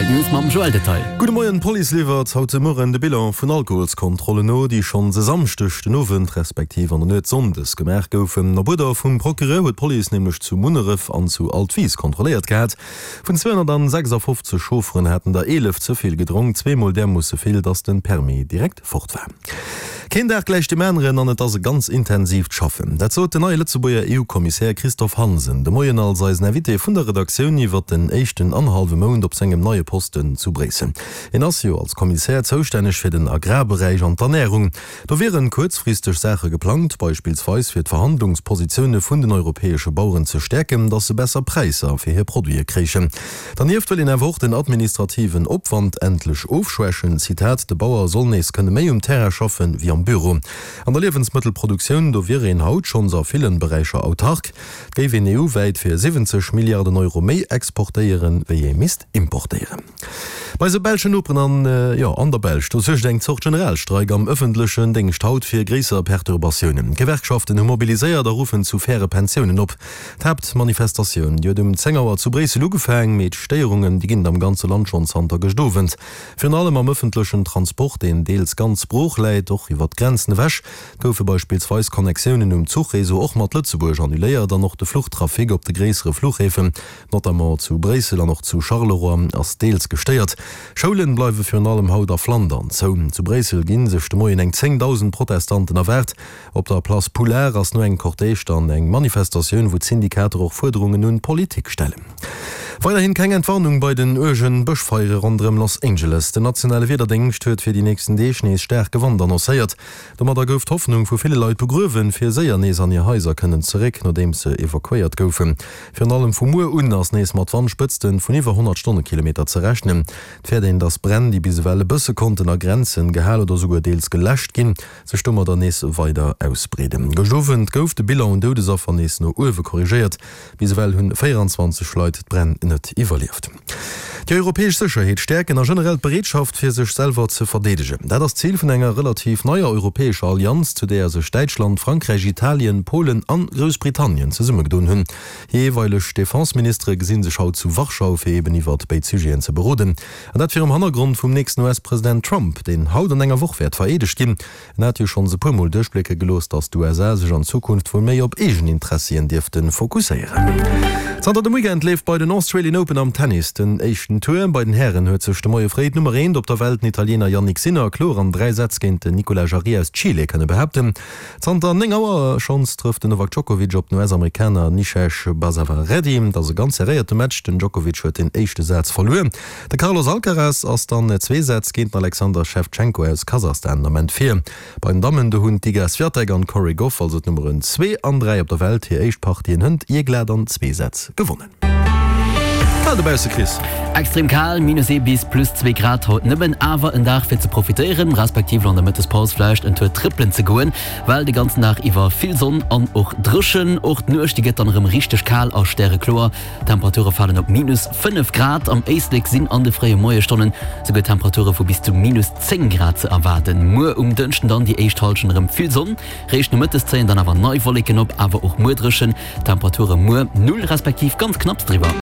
Rtl News mam Joël Detail. Gudde Moien, D'Police liwwert haut de Mueren de Bilan vun Alkoholskontrollen no, déi schonns e Samschdeg den Owend respektiv an der Nuet Sonndes gemaach goufen. Op Uerder vum Procureur huet d'Police nämlech zu Munneref an zu Altwis kontrolléiert gehat. Vun 256 Chaufferen haten der 11 ze vill gedronk, zweemol därmoosse vill, datt de Permis direkt fort war. Keen Dag gläicht deem aneren an et ass e ganz intensiivt Schaffen. Dat sot den neie Lëtzebuerger EU-Kommissär Christophe Hansen de Moien als eisen Invité vun der Redaktioun iwwer den éischten annerhallwe Mount op sengem neie Posten zu Bréissel. Hien ass jo als Kommissär zoustänneg fir den Agrarberäich an d'Ernärung. Do wieren kuerzfristeg Saache geplangt, beispillsweis fir d'Verhandlungspositioune vun den europäesche Baueren ze stäerken, datt se besser Präisser fir hir Produite kréichen. Dernieft wëll een awer och den administrativen Opwand endlech ofschwächen. Zitat, De Bauer soll nees kënne méi um Terrain schaffen, wéi am Büro. An der Liewensmëttelproduktioun, do wier een haut schonns a villen Beräicher autark. Et géif een EU-wäit fir 70 Milliarden Euro méi exportéieren, wéi ee misst importéieren. Bei eise belschen Noperen an, jo, an der Belsch, do suergt eng Zort Generalstreik am ëffentlechen Déngscht haut fir gréisser Perturbatiounen. D'Gewerkschaften hu mobiliséiert a ruffen zu faire Pensiounen op. D'Haaptmanifestatioun, déi huet um 10 Auer zu Bréissel ugefaang, mee d'Stéierungen, déi ginn et am ganze Land schonn zanter gëscht Owend. Virun allem am ëffentlechen Transport, deen deels ganz brooch läit, och iwwer d'Grenzen ewech, goufe beispillsweis Connectiounen um Zuchreseau och mat Lëtzebuerg annuléiert an och de Fluchtrafic op de gréissere Fluchhäfen, notamment zu Bréissel an och zu Charleroi, ass deels gestéiert. Schoulen bleiwe virun allem haut a Flandern zou. Zu Bréissel gi sech de Moien eng 10.000 Protestanten erwaart. Op der Place Poulard ass no engem Cortège dann eng Manifestatioun, wou d'Syndikater och Fuerderungen un d'Politik stellen. Weiderhin keng Entwarnung bei den uergen Bëschfeiere ronderëm Los Angeles. Den nationale Wiederdéngscht huet fir déi nächsten Deeg nees staarke Wand annoncéiert. Domadder gouf d'Hoffnung vu ville Leit begruewen, fir séier nees an hir Haiser kënnen zeréck, nodeems se evakuéiert goufen. Virun allem vu muer un ass nees mat Wandspëtzten vun iwwer 100 Stonnekilometer ze rechnen. Et fäert een, dass Bränn, déi bis ewell e bësse konnten a Grenzen gehal oder souguer deels geläscht ginn, sech domadder nees weider ausbreeden. Gëscht Owend gouf de Bilan un Doudesaffer nees no uewe korrigéiert. Bis ewell hunn 24 Leit d'Bränn net iwwerlieft. Déi europäesch Sécherheet stäerken a generell d'Bereetschaft fir sech selwer ze verdeedegen, dat ass d'Zil vun enger relativ neier europäescher Allianz, zu deeër sech Däitschland, Frankräich, Italien, Polen an Groussbritannien zesummegedoen hunn. Hir jeeweileg Defenseministere gesi sech haut zu Warschau, fir eben iwwert béid Sujeten ze beroden. An dat virum Hannergrond vum nächsten US-President Trump, deen haut an enger Woch wäert vereedegt ginn. En hat jo schonns e puer Mol duerchblécke gelooss, datt d'USA sech an Zukunft wuel méi op eegen Interessien dierfte fokusséieren. Zanter dem Weekend leeft bei den Australian Open am Tennis den éischten Tour. Bei den Hären huet sech de Moie fréi d'Nummer eent op der Welt, den Italiener Jannik Sinner, kloer an 3 Sätz géint den Nicolas Jarry aus Chile kënne behaapten. Zanter 9 Auer schonns trëfft den Novak Djokovic op den US-Amerikaner Nishesh Basavareddy. Et ass e ganz serréierte Match, den Djokovic huet den éischte Saz verluer. De Carlos Alcaraz ass dann zwee Sätz géint den Alexander Shevchenko aus Kasachstan den Ament vir. Bei den Dammen, do hunn d'Iga Swiatek an d'Cori Gauff, also d'Nummeren 2 an 3 op der Welt, hir éischt Partien hënt jee glat an zwee Sätz gewonnen. Kal dobausse, Chris. Extrem kal, minus ee bis plus zwee Grad haut nëmmen, awer en Dag fir ze profitéieren, respektiv an der Mëttespaus vläicht en Tour trëppelen ze goen, well de ganzen Dag iwwer vill Sonn an och dréchen. Och d'Nuecht, déi gëtt dann erëm richteg kal a stärekloer. D'Temperature falen op minus 5 Grad, am Éislek sinn an de fréie Moiesstonnen souguer Temperature vu bis zu minus 10 Grad ze erwaarden. Muer um Dënschden dann déi éischt Hallschent erëm vill Sonn, réischt nomëttes zéien dann awer nei Wolleken op, awer och muer dréchen. Temperature muer null respektiv ganz knapps driwwer.